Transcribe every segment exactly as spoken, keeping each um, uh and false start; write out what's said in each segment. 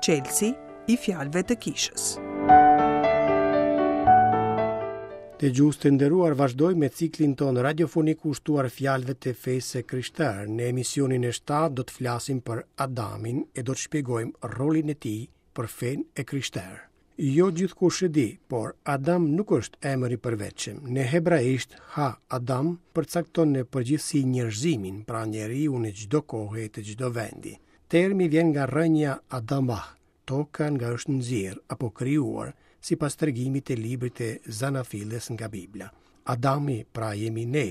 Çelësi i fjalëve të kishës. Dëgjues të nderuar, vazhdojmë me ciklin tonë radiofonik kushtuar fjalëve të fesë së krishterë. Në emisionin e shtatë do të flasim për Adamin e do të shpjegojmë rolin e tij për fenë e krishterë. Jo gjithkush e di, por Adam nuk është emër i përveçëm. Në hebraisht Ha Adam përcakton në përgjithësi njerëzimin, pra njeriu në çdo kohë e të çdo vendi. Termi vjen nga rrënja Adamah, toka nga është nxjerr apo krijuar, sipas tregimit të librit të Zanafillës nga Bibla. Adami, pra jemi ne,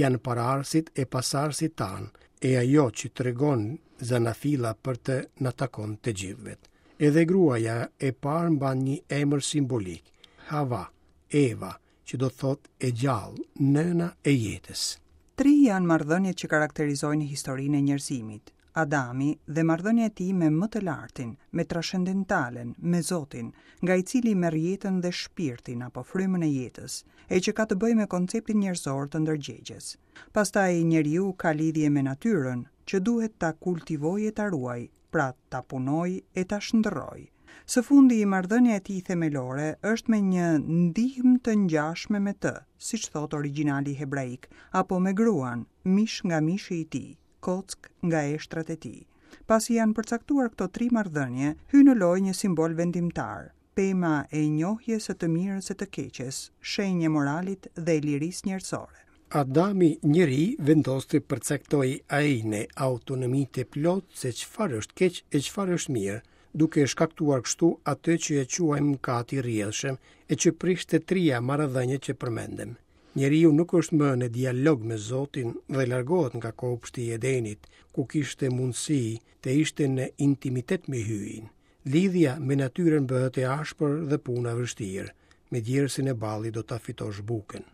janë paraardhësit e pasardhësit tanë, e ajo që tregon Zanafilla për të na takon të gjithëve. Edhe gruaja e parë mban një emër simbolik, Hava, Eva, që do thotë e gjallë, nëna e jetës. Tri janë marrëdhëniet që karakterizojnë historinë e njerëzimit. Adami dhe marrëdhënia e tij me më të lartin, me transcendentalen, me Zotin, nga i cili merr jetën dhe shpirtin apo frymën e jetës, e që ka të bëjë me konceptin njerëzor të ndërgjegjes. Pastaj njeriu ka lidhje me natyrën, që duhet ta kultivojë e ta ruajë, pra ta punojë e ta shndërrojë. Së fundi, marrëdhënia e tij themelore është me një ndihmë të ngjashme me të, siç thot origjinali hebraik, apo me gruan, mish nga mishi i tij, kockë nga eshtrat e tij. Pasi janë përcaktuar këto tri marrëdhënie, hyn në lojë një simbol vendimtar, pema e njohjes së të mirës e të keqes, shenjë e moralit dhe e lirisë njerëzore. Adami njeri vendos të përcaktojë ai në autonomi të plotë se çfarë është keq e çfarë është mirë, duke shkaktuar kështu atë që e quajmë mëkat i rrjedhshëm e që prish të tria marrëdhëniet që përmendëm. Njeriu nuk është më në dialog me Zotin dhe largohet nga kopshti i Edenit, ku kishte mundësi të ishte në intimitet me Hyjin. Lidhja me natyrën bëhet e ashpër dhe puna e vështirë. Me djersën e ballit do ta fitosh bukën.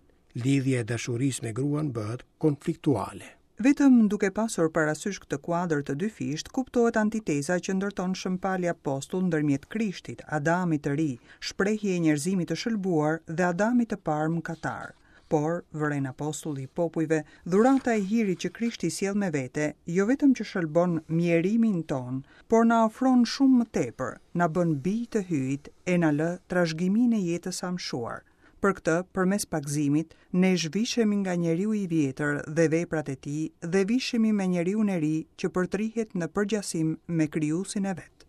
Lidhja e dashurisë me gruan bëhet konfliktuale. Vetëm duke pasur parasysh këtë kuadër të dyfisht, kuptohet antiteza që ndërton Shën Pali Apostull ndërmjet Krishtit, Adamit të ri, shprehje e njerëzimit të shëlbuar dhe Adamit të parë mëkatar. Por, vëren apostulli i popujve, dhurata e hirit që Krishti sjell me vete, jo vetëm që shëlbon mjerimin ton, por na ofron shumë më tepër, na bën bij të Hyjit e na lë trashëgiminë e jetës së amshuar. Për këtë, përmes pagëzimit, ne zhvishemi nga njeriu i vjetër dhe veprat e tij dhe vishemi me njeriun e ri që përtrihet në përgjasim me krijuesin e vet.